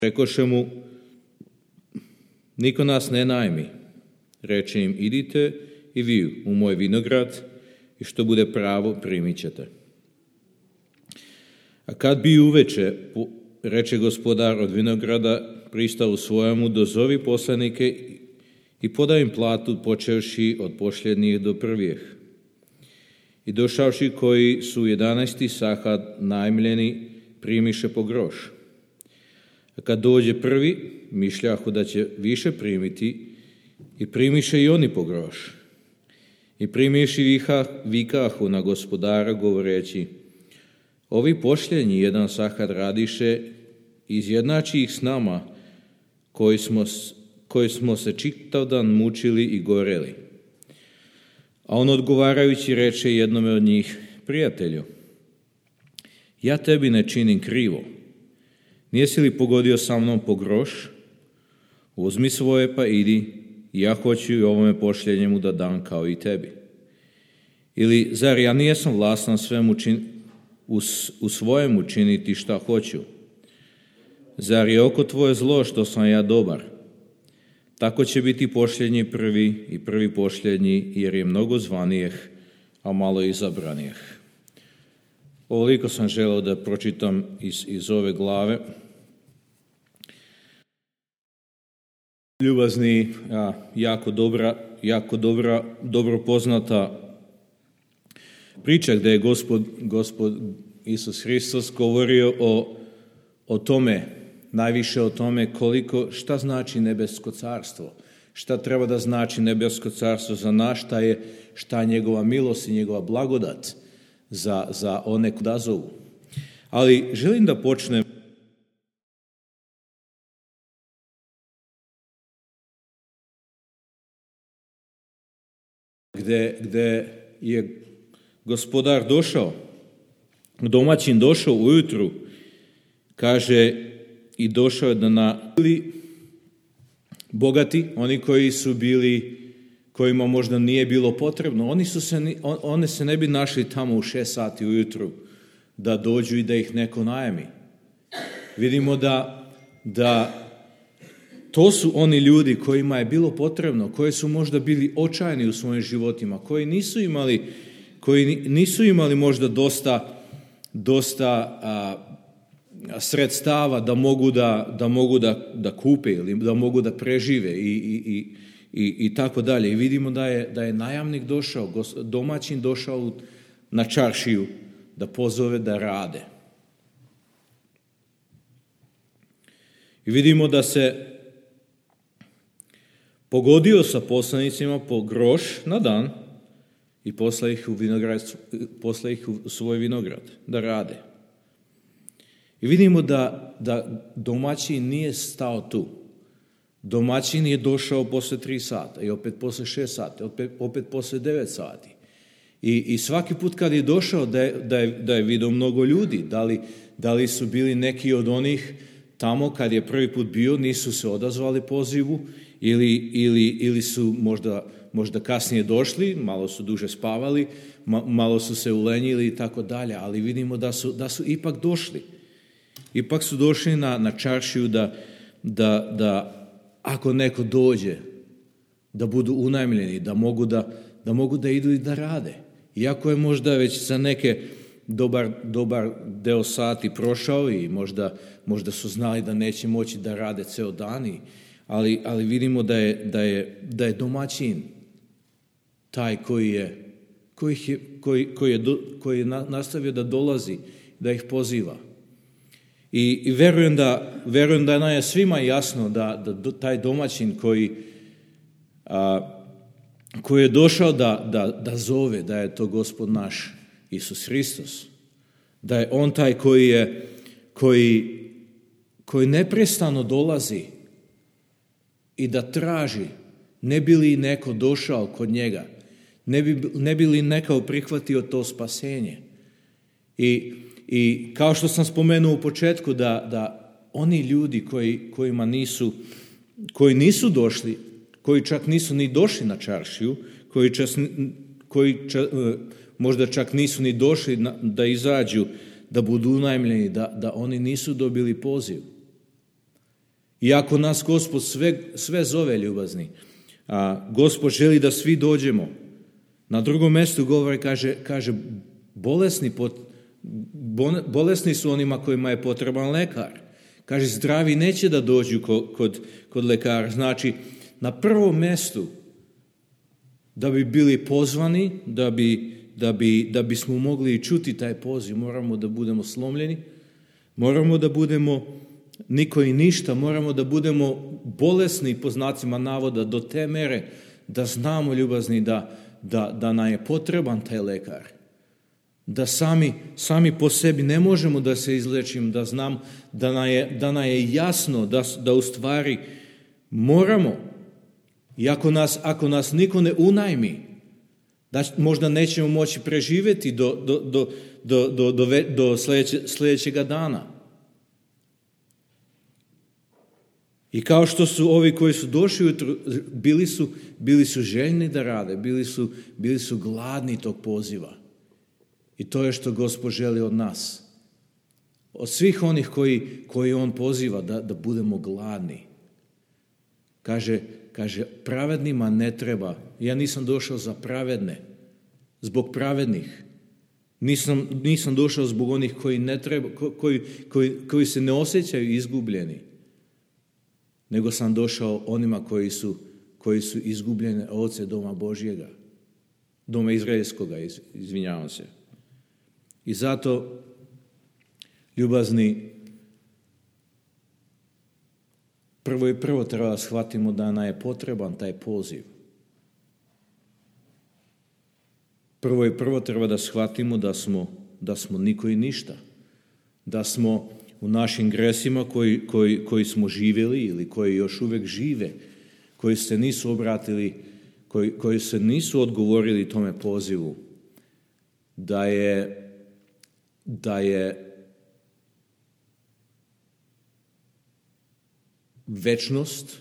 Rekoše mu, niko nas ne najmi. Reče im, idite i vi u moj vinograd i što bude pravo primit ćete. A kad bi uveče, reče gospodar od vinograda, pristao svojemu, dozovi poslanike i podaj im platu počevši od posljednjih do prvih. I došavši koji su 11. sahad najmljeni, primiše po groš. A kad dođe prvi, mišljahu da će više primiti i primiše i oni po groš. I primiši vikahu na gospodara govoreći, ovi posljednji 1 sahad radiše, izjednači ih s nama koji smo se čitav dan mučili i goreli. A on odgovarajući reče jednome od njih, prijatelju, ja tebi ne činim krivo. Nijesi li pogodio sa mnom po groš? Uzmi svoje pa idi, ja hoću i ovome posljednjemu da dam kao i tebi. Ili zar ja nijesam vlastan u svojemu činiti šta hoću? Zar je oko tvoje zlo što sam ja dobar? Tako će biti posljednji prvi i prvi posljednji, jer je mnogo zvanijeh, a malo izabranijeh. Ovoliko sam želeo da pročitam iz ove glave. Ljubazni, jako dobro poznata priča gdje je Gospod Isus Hristos govorio o tome, najviše o tome šta znači nebesko carstvo, šta treba da znači nebesko carstvo za nas, šta je njegova milost i njegova blagodat za one koji odazovu. Ali želim da počnem gde je gospodar došao, domaćin došao ujutru, kaže, i došao je da bili bogati, oni koji su bili, kojima možda nije bilo potrebno, oni se ne bi našli tamo u 6 sati ujutru da dođu i da ih neko najmi. Vidimo da to su oni ljudi kojima je bilo potrebno, koji su možda bili očajni u svojim životima, koji nisu imali možda dosta sredstava da mogu da kupe ili da mogu da prežive i tako dalje. I vidimo da je najamnik došao, domaćin došao na čaršiju da pozove da rade. I vidimo da se pogodio sa poslanicima po groš na dan i posla ih u svoj vinograd da rade. I vidimo da domaćin nije stao tu. Domaćin je došao posle 3 sata i opet posle 6 sati, opet posle 9 sati. I svaki put kad je došao da je vidio mnogo ljudi, da li su bili neki od onih tamo kad je prvi put bio, nisu se odazvali pozivu ili su možda kasnije došli, malo su duže spavali, malo su se ulenjili i tako dalje, ali vidimo da su ipak došli. Ipak su došli na čaršiju da ako neko dođe, da budu unajmljeni, da mogu da idu i da rade. Iako je možda već za neke dobar deo sati prošao i možda su znali da neće moći da rade ceo dan, ali vidimo da je domaćin taj koji je nastavio da dolazi, da ih poziva. I verujem da nam je svima jasno da taj domaćin koji je došao da zove, da je to Gospod naš Isus Hristos, da je on taj koji neprestano dolazi i da traži, ne bi li neko došao kod njega, ne bi li neko prihvatio to spasenje. I kao što sam spomenuo u početku, da oni ljudi koji nisu došli, koji čak nisu ni došli na čaršiju, koji možda čak nisu ni došli da izađu, da budu unajmljeni, da oni nisu dobili poziv. Iako nas Gospod sve zove, ljubazni, Gospod želi da svi dođemo. Na drugom mjestu govori, kaže bolesni su onima kojima je potreban lekar. Kaže, zdravi neće da dođu kod lekara. Znači, na prvom mjestu, da bi bili pozvani, da bismo mogli čuti taj poziv, moramo da budemo slomljeni, moramo da budemo niko i ništa, moramo da budemo bolesni, po znacima navoda, do te mere da znamo, ljubazni, da nam je potreban taj lekar. Da sami po sebi ne možemo da se izlečimo, da znam da nam je jasno da u stvari moramo. I ako nas niko ne unajmi, da možda nećemo moći preživjeti do sljedećega dana. I kao što su ovi koji su došli ujutro, bili su željni da rade, bili su gladni tog poziva. I to je što Gospod želi od nas. Od svih onih koji on poziva da budemo gladni. Kaže, pravednima ne treba. Ja nisam došao za pravedne, zbog pravednih. Nisam došao zbog onih koji ne treba, koji se ne osjećaju izgubljeni. Nego sam došao onima koji su izgubljene ovce doma Božjega. Doma Izraelskoga, izvinjavam se. I zato, ljubazni, prvo treba da shvatimo da nam je potreban taj poziv. Prvo treba da shvatimo da smo niko i ništa. Da smo u našim gresima koji smo živjeli ili koji još uvijek žive, koji se nisu obratili, koji se nisu odgovorili tome pozivu, da je večnost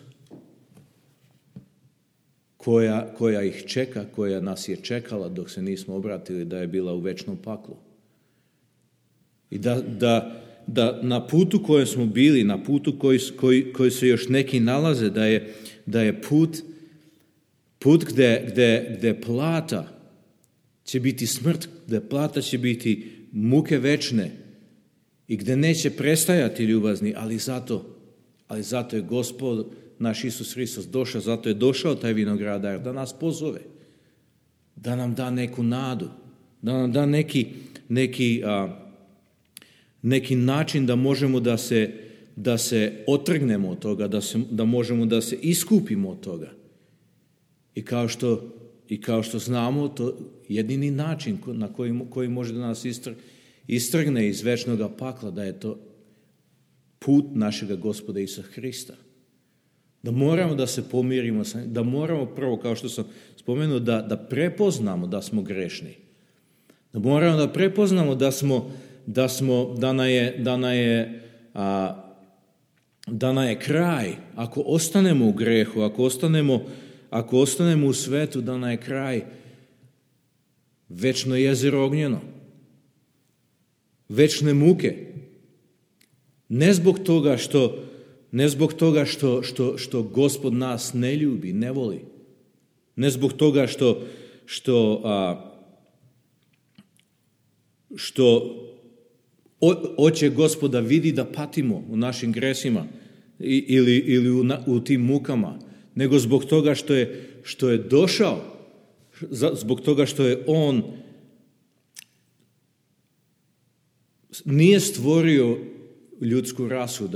koja ih čeka, koja nas je čekala dok se nismo obratili, da je bila u večnom paklu. I da na putu kojem smo bili, na putu koji se još neki nalaze, da je put gdje plata će biti smrt, gdje plata će biti muke večne i gdje neće prestajati, ljubazni, ali zato je Gospod naš Isus Hristos došao, zato je došao taj vinogradar da nas pozove, da nam da neku nadu, da nam da neki način da možemo da se otrgnemo od toga, da možemo da se iskupimo od toga. I kao što znamo, to jedini način na koji može da nas istrgne iz večnoga pakla, da je to put našega Gospoda Isusa Hrista. Da moramo da se pomirimo, da moramo prvo, kao što sam spomenuo, da prepoznamo da smo grešni. Da moramo da prepoznamo da nam je kraj, ako ostanemo u grehu, ako ostanemo u svetu, da nam je kraj večno jezero ognjeno, večne muke. Ne zbog toga što Gospod nas ne ljubi, ne voli. Ne zbog toga što oče Gospoda vidi da patimo u našim gresima ili u tim mukama, nego zbog toga što je došao, zbog toga što je on nije stvorio ljudsku rasu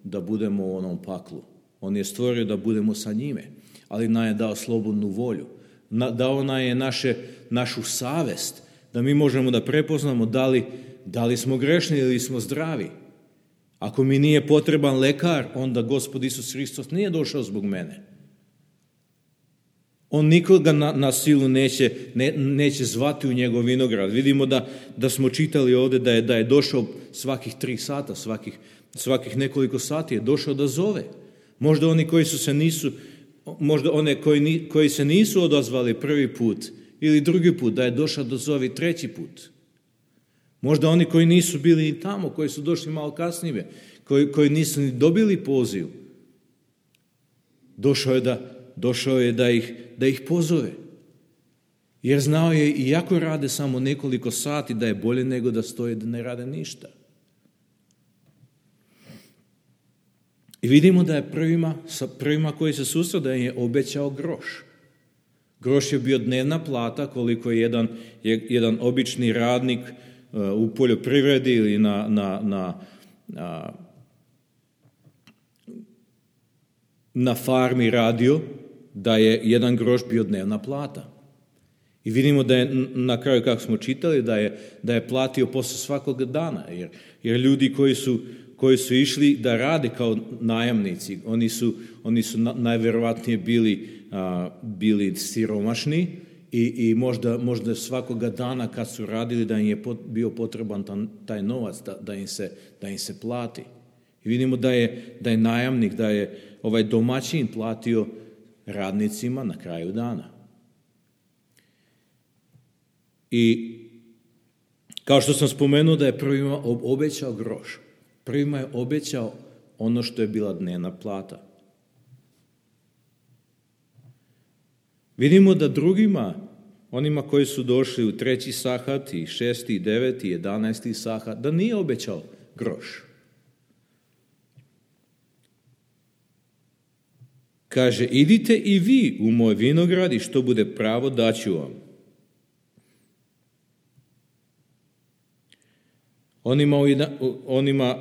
da budemo u onom paklu. On je stvorio da budemo sa njime, ali nam je dao slobodnu volju. Dao nam je našu savest, da mi možemo da prepoznamo da li smo grešni ili smo zdravi. Ako mi nije potreban lekar, onda Gospod Isus Hristos nije došao zbog mene. On nikoga na silu neće zvati u njegov vinograd. Vidimo da smo čitali ovdje da je došao svakih 3 sata, svakih nekoliko sati je došao da zove. Možda oni koji se nisu odazvali prvi put ili drugi put, da je došao da zovi 3. put. Možda oni koji nisu bili i tamo, koji su došli malo kasnije, koji nisu ni dobili poziv, došao je da ih pozove. Jer znao je, iako rade samo nekoliko sati, da je bolje nego da stoje da ne rade ništa. I vidimo da je prvima koji se susreo da je obećao groš. Groš je bio dnevna plata koliko je jedan obični radnik u poljoprivredi ili na farmi radio, da je jedan groš bio dnevna plata. I vidimo da je na kraju, kako smo čitali, da je platio posle svakog dana, jer ljudi koji su išli da rade kao najamnici, oni su najverovatnije bili siromašni i možda svakoga dana kad su radili da im je bio potreban taj novac da im se plati. I vidimo da je najamnik, da je ovaj domaćin platio radnicima na kraju dana. I kao što sam spomenuo da je prvima obećao groš, prvima je obećao ono što je bila dnevna plata. Vidimo da drugima, onima koji su došli u 3. sahat i 6. i 9. i 11. sahat, da nije obećao groš. Kaže, idite i vi u moj vinograd i što bude pravo daću vam.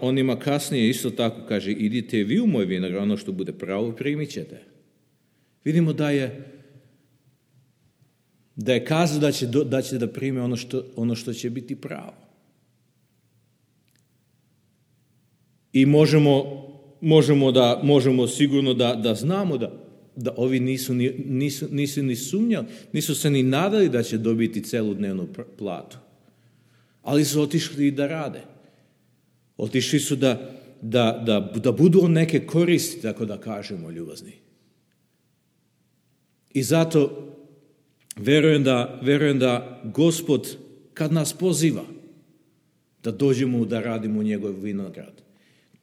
Onima kasnije isto tako kaže, idite vi u moj vinograd, ono što bude pravo primit ćete. Vidimo da je kazao da će da prime ono što će biti pravo. I možemo sigurno da znamo da ovi nisu ni sumnjali, nisu se ni nadali da će dobiti celu dnevnu platu. Ali su otišli i da rade. Otišli su da budu neke koristi, tako da kažemo, ljubazni. I zato verujem da Gospod, kad nas poziva da dođemo da radimo u njegov vinograd,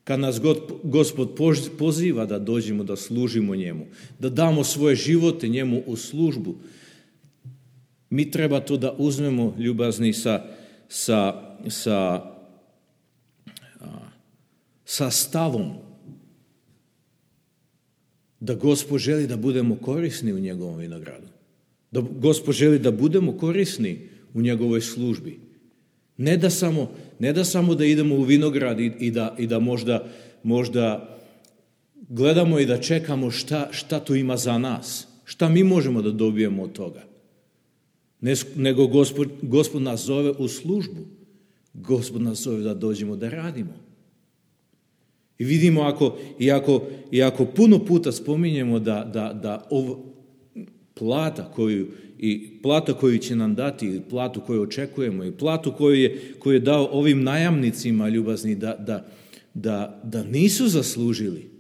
kad nas Gospod poziva da dođemo da služimo njemu, da damo svoje živote njemu u službu, mi treba to da uzmemo, ljubazni, sa stavom da Gospod želi da budemo korisni u njegovom vinogradu. Da Gospod želi da budemo korisni u njegovoj službi. Ne da samo da idemo u vinograd i da možda gledamo i da čekamo šta tu ima za nas. Šta mi možemo da dobijemo od toga. Nego Gospod nas zove u službu. Gospod nas zove da dođemo da radimo. I vidimo ako puno puta spominjemo da plata koju će nam dati, ili platu koju očekujemo, i platu koju je dao ovim najamnicima, ljubazni, da nisu zaslužili.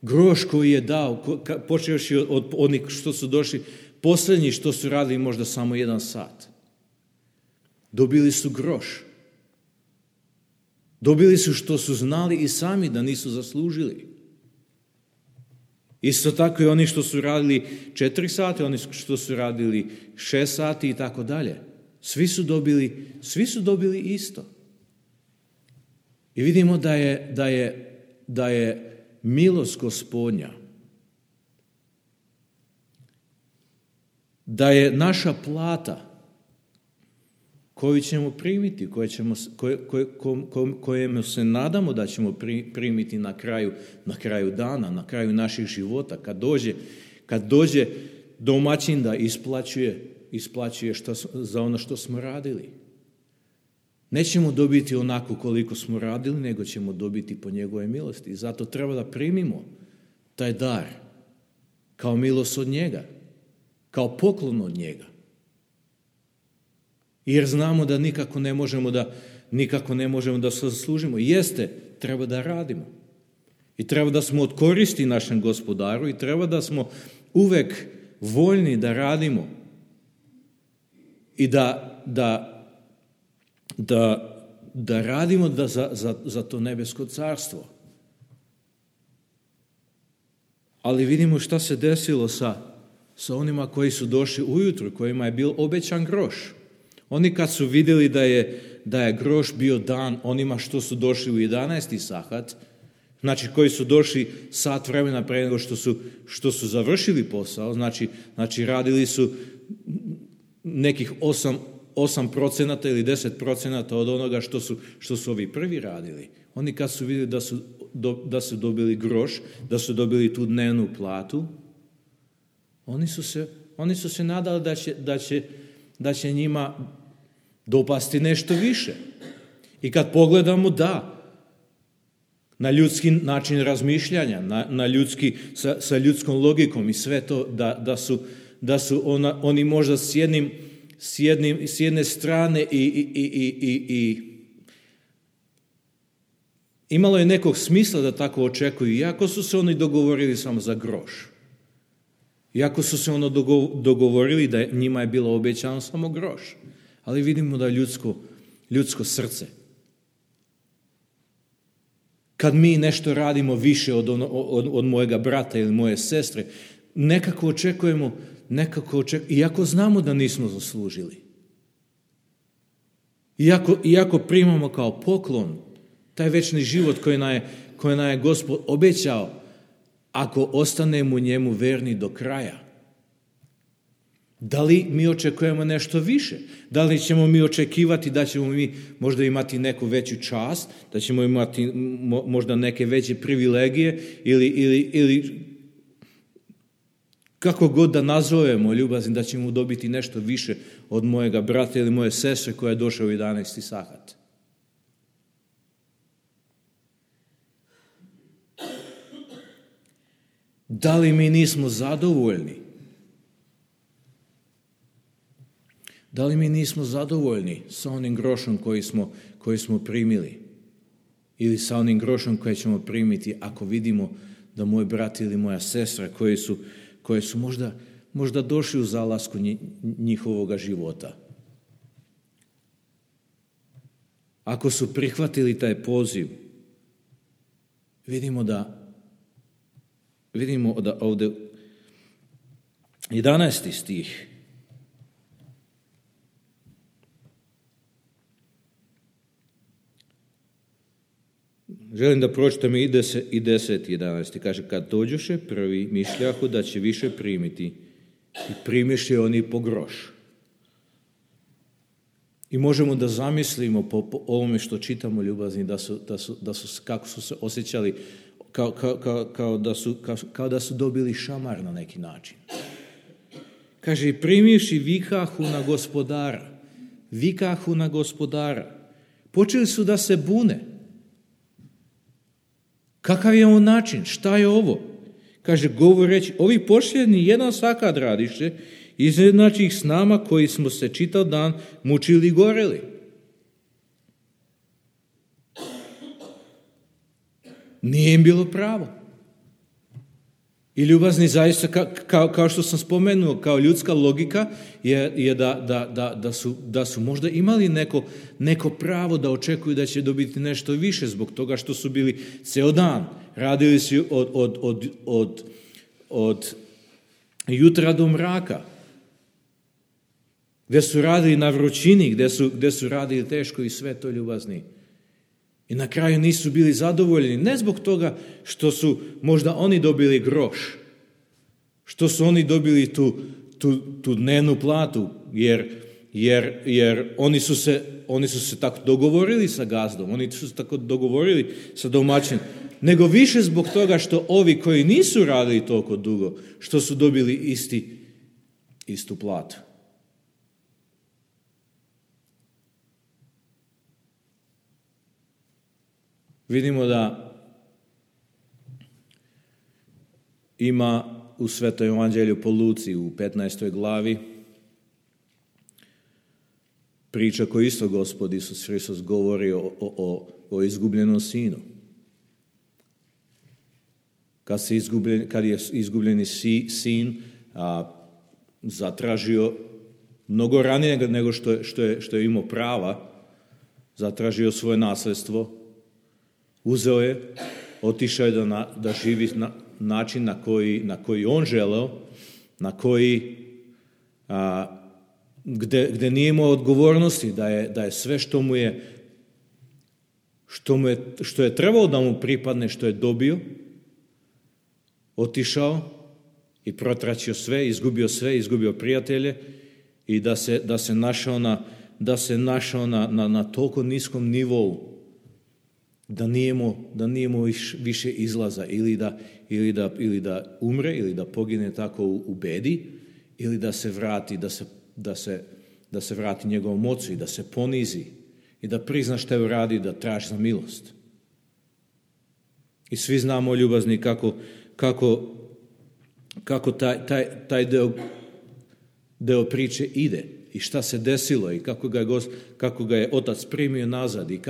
Groš koji je dao, počevši od onih što su došli, posljednji što su radili možda samo 1 sat. Dobili su groš. Dobili su što su znali i sami da nisu zaslužili. Isto tako i oni što su radili 4 sata, oni što su radili 6 sati i tako dalje. Svi su dobili isto. I vidimo da je milost Gospodnja, da je naša plata koju ćemo primiti, kojemu se nadamo da ćemo primiti na kraju dana, na kraju naših života, kad dođe domaćin da isplaćuje za ono što smo radili. Nećemo dobiti onako koliko smo radili, nego ćemo dobiti po njegove milosti. I zato treba da primimo taj dar kao milost od njega, kao poklon od njega. Jer znamo da nikako ne možemo da se zaslužimo. Jeste, treba da radimo. I treba da smo od koristi našem Gospodaru i treba da smo uvek voljni da radimo i da da radimo za to nebesko carstvo. Ali vidimo šta se desilo sa onima koji su došli ujutru, kojima je bil obećan groš. Oni kad su vidjeli da je groš bio dan onima što su došli u 11. sahat, znači koji su došli sat vremena pre nego što su završili posao, znači radili su nekih 8% ili 10% od onoga što su ovi prvi radili. Oni kad su vidjeli da su dobili groš, da su dobili tu dnevnu platu, oni su se nadali da će njima dopasti nešto više. I kad pogledamo, na ljudski način razmišljanja, na ljudski, sa ljudskom logikom i sve to, da su oni možda s jedne strane i imalo je nekog smisla da tako očekuju, iako su se oni dogovorili samo za groš. Iako su se dogovorili da njima je bilo obećano samo groš. Ali vidimo da ljudsko srce. Kad mi nešto radimo više od mojega brata ili moje sestre, nekako očekujemo, iako znamo da nismo zaslužili. Iako primamo kao poklon taj večni život koji nam je Gospod obećao, ako ostanemo njemu verni do kraja. Da li mi očekujemo nešto više? Da li ćemo mi očekivati da ćemo mi možda imati neku veću čast, da ćemo imati možda neke veće privilegije ili kako god da nazovemo ljubazni, da ćemo dobiti nešto više od mojega brata ili moje sestre koja je došla u 11. sahat. Da li mi nismo zadovoljni? Da li mi nismo zadovoljni sa onim grošom koji smo primili? Ili sa onim grošom koje ćemo primiti ako vidimo da moj brat ili moja sestra koji su možda došli u zalasku njihovoga života. Ako su prihvatili taj poziv, vidimo da ovdje 11. stih želim da pročitam i 10 i 11. Kaže, kad dođoše prvi, mišljahu da će više primiti i primiše oni po groš. I možemo da zamislimo po ovome što čitamo, ljubazni, kako su se osjećali kao da su dobili šamar na neki način. Kaže, primiši vikahu na gospodara. Vikahu na gospodara. Počeli su da se bune. Kakav je on način? Šta je ovo? Kaže, govoreći, ovi posljednji jedan sakat radiše, izjednači ih s nama koji smo se čitav dan mučili i goreli. Nije im bilo pravo. I ljubazni zaista, kao što sam spomenuo, kao ljudska logika je da su možda imali neko pravo da očekuju da će dobiti nešto više zbog toga što su bili ceo dan. Radili su od jutra do mraka. Gdje su radili na vrućini, gdje su radili teško i sve to, ljubazni. I na kraju nisu bili zadovoljni, ne zbog toga što su možda oni dobili groš, što su oni dobili tu dnevnu platu, jer oni su se tako dogovorili sa gazdom, oni su se tako dogovorili sa domaćinom, nego više zbog toga što ovi koji nisu radili toliko dugo, što su dobili istu platu. Vidimo da ima u Svetom evanđelju po Luci u 15. glavi priča koju isto Gospod Isus Hristos govori o izgubljenom sinu. Kad je izgubljeni sin zatražio mnogo ranije nego što je imao prava, zatražio svoje nasljedstvo, uzeo je, otišao je da živi na način na koji on želeo, na koji gdje nije imao odgovornosti, da je sve što je trebalo da mu pripadne, što je dobio, otišao i protračio sve, izgubio prijatelje i da se našao na toliko niskom nivou da nije imao više izlaza ili da umre ili da pogine tako u bedi ili da se vrati, da se vrati njegovom ocu i da se ponizi i da prizna što je uradio, da traži za milost. I svi znamo, ljubazni, kako taj deo priče ide i šta se desilo i kako ga je otac primio nazad i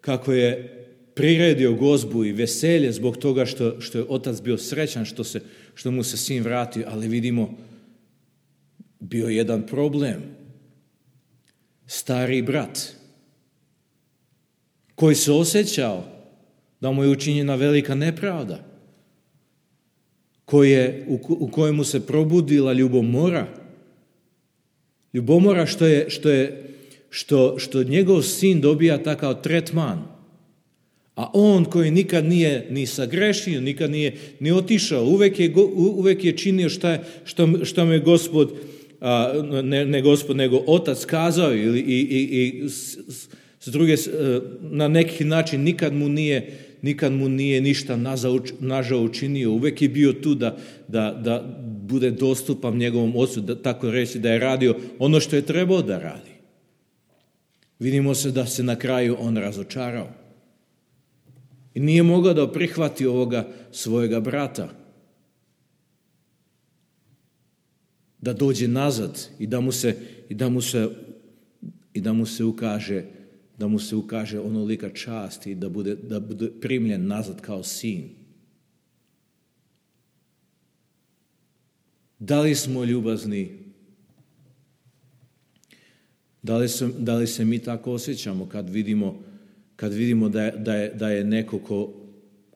kako je priredio gozbu i veselje zbog toga što je otac bio srećan što mu se sin vratio, ali vidimo bio jedan problem. Stari brat koji se osjećao da mu je učinjena velika nepravda, u kojemu se probudila ljubomora što njegov sin dobija takav tretman, a on koji nikad nije ni sagrešio, nikad nije ni otišao, uvek je činio što mu je nego otac kazao i s druge, na neki način nikad mu nije ništa nažao učinio. Uvek je bio tu da bude dostupan njegovom ocu, da tako reći, da je radio ono što je trebao da radi. Vidimo se da se na kraju on razočarao. I nije mogao da prihvati ovoga svojega brata. Da dođe nazad i da mu se ukaže onolika čast i da bude primljen nazad kao sin. Da li smo ljubazni? Da li se mi tako osjećamo kad vidimo da je neko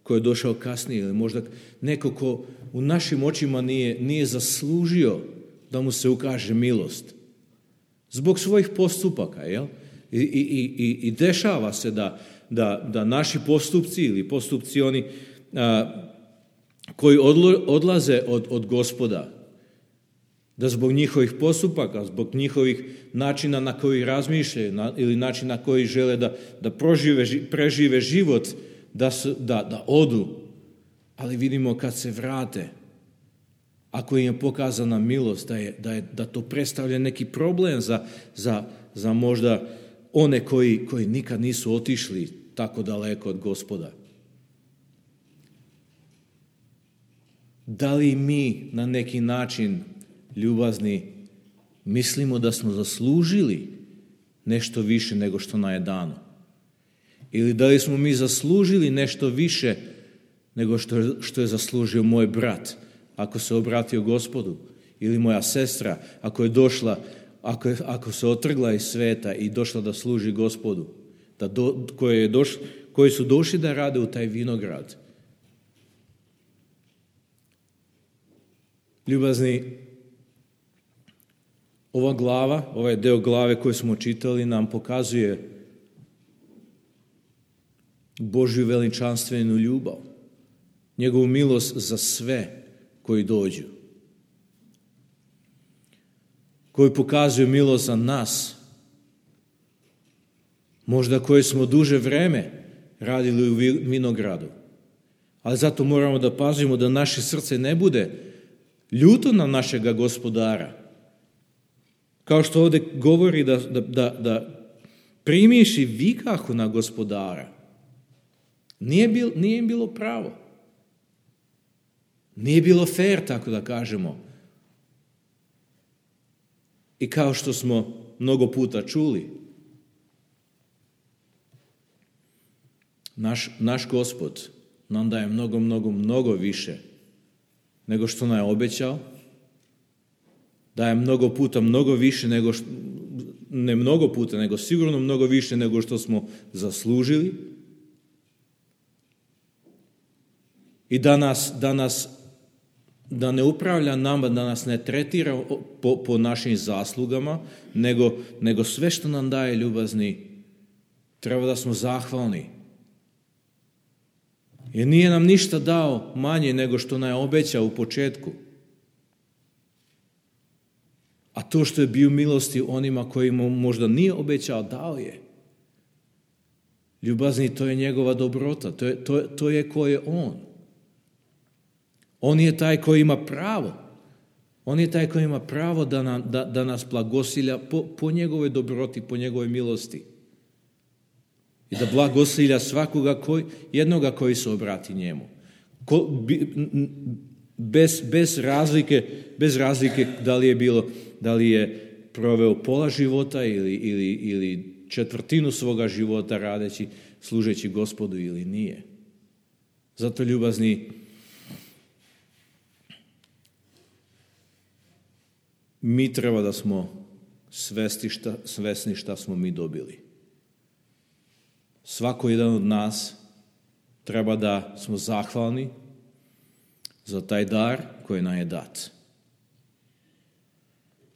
ko je došao kasnije ili možda neko ko u našim očima nije zaslužio da mu se ukaže milost zbog svojih postupaka, jel? I dešava se da naši postupci ili postupci oni koji odlaze od Gospoda, da zbog njihovih postupaka, zbog njihovih načina na koji razmišljaju ili način na koji žele da prežive život, da odu. Ali vidimo kad se vrate, ako im je pokazana milost, da to predstavlja neki problem za možda one koji nikad nisu otišli tako daleko od Gospoda. Da li mi na neki način, ljubazni, mislimo da smo zaslužili nešto više nego što nam je dano? Ili da li smo mi zaslužili nešto više nego što je zaslužio moj brat, ako se obratio Gospodu, ili moja sestra, ako je došla, ako se otrgla iz sveta i došla da služi Gospodu, koji su došli da rade u taj vinograd. Ljubazni, ova glava, ovaj deo glave koji smo čitali nam pokazuje Božju veličanstvenu ljubav, njegovu milost za sve koji dođu, koji pokazuju milost za nas, možda koji smo duže vreme radili u vinogradu, ali zato moramo da pazimo da naše srce ne bude ljuto na našega Gospodara. Kao što ovdje govori da primiši vikahu na Gospodara. Nije im bilo pravo. Nije bilo fair, tako da kažemo. I kao što smo mnogo puta čuli, naš Gospod nam daje mnogo više nego što nam je obećao, daje mnogo puta mnogo više ne mnogo puta, nego sigurno mnogo više nego što smo zaslužili. I da ne upravlja nama, da nas ne tretira po našim zaslugama, nego sve što nam daje, ljubazni, treba da smo zahvalni. Jer nije nam ništa dao manje nego što nam je obećao u početku. A to što je bio milosti onima kojima možda nije obećao, dao je. Ljubazni, to je njegova dobrota, to je ko je on. On je taj koji ima pravo. On je taj koji ima pravo da nas blagosilja po njegovoj dobroti, po njegovoj milosti. I da blagosilja svakoga jednoga koji se obrati njemu. Bez razlike da li je proveo pola života ili četvrtinu svoga života radeći, služeći Gospodu ili nije. Zato, ljubazni, mi treba da smo svesni šta smo mi dobili. Svako jedan od nas treba da smo zahvalni za taj dar koji nam je dat.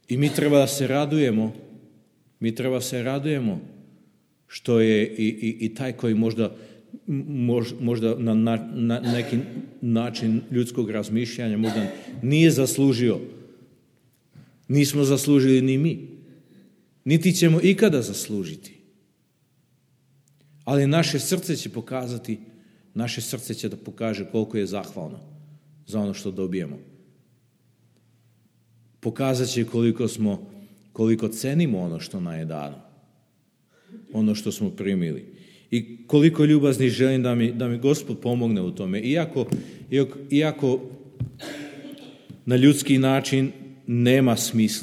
I mi treba da se radujemo, što je i taj koji možda na neki način ljudskog razmišljanja možda nije zaslužio. Nismo zaslužili ni mi. Niti ćemo ikada zaslužiti. Ali naše srce će da pokaže koliko je zahvalno za ono što dobijemo. Pokazat će koliko cenimo ono što nam je dano. Ono što smo primili. I koliko ljubazni želim da mi Gospod pomogne u tome. Iako na ljudski način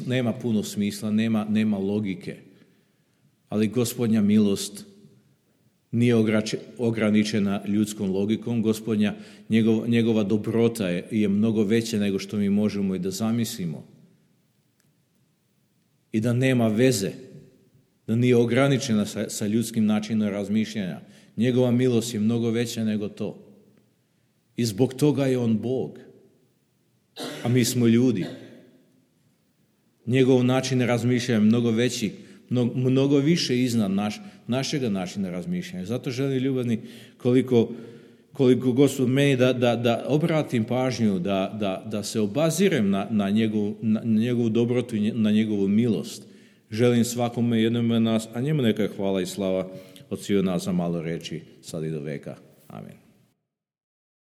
nema puno smisla, nema logike. Ali Gospodnja milost nije ograničena ljudskom logikom. Gospodnja, njegova dobrota je mnogo veća nego što mi možemo i da zamislimo. I da nema veze, da nije ograničena sa ljudskim načinom razmišljanja. Njegova milost je mnogo veća nego to. I zbog toga je on Bog, a mi smo ljudi. Njegov način razmišljanja je mnogo veći, mnogo više iznad našega načina razmišljanja. Zato želim, ljubazni, koliko Gospod meni da obratim pažnju, da se obazirem na njegovu dobrotu i na njegovu milost. Želim svakome jednome nas, a njemu neka hvala i slava od svih nas za malo reći, sad i do veka. Amen.